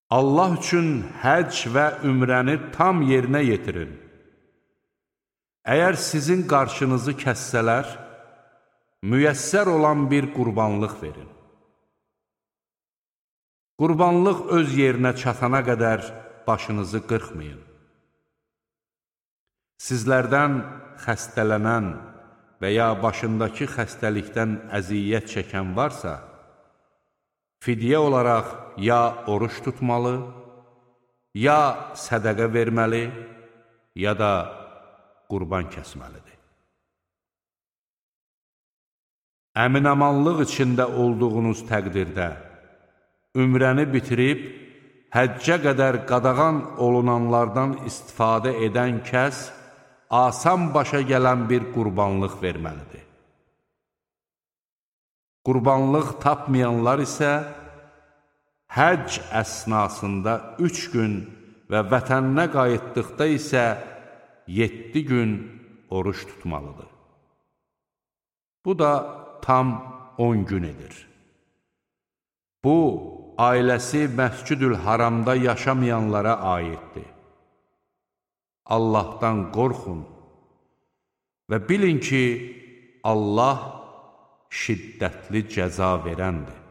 Allah üçün həcc və ümrəni tam yerinə yetirin. Əgər sizin qarşınızı kəssələr, müyəssər olan bir qurbanlıq verin. Qurbanlıq öz yerinə çatana qədər başınızı qırxmayın. Sizlərdən xəstələnən və ya başındakı xəstəlikdən əziyyət çəkən varsa, fidyə olaraq ya oruç tutmalı, ya sədəqə verməli, ya da qurban kəsməlidir. Əmin-amanlıq içində olduğunuz təqdirdə, ümrəni bitirib, həccə qədər qadağan olunanlardan istifadə edən kəs, asan başa gələn bir qurbanlıq verməlidir. Qurbanlıq tapmayanlar isə, həcc əsnasında 3 gün və vətəninə qayıtdıqda isə 7 gün oruç tutmalıdır. Bu da tam 10 gün edir. Bu, ailəsi Məscid-ül Haramda yaşamayanlara aiddir. Allahdan qorxun və bilin ki, Allah şiddətli cəza verəndir.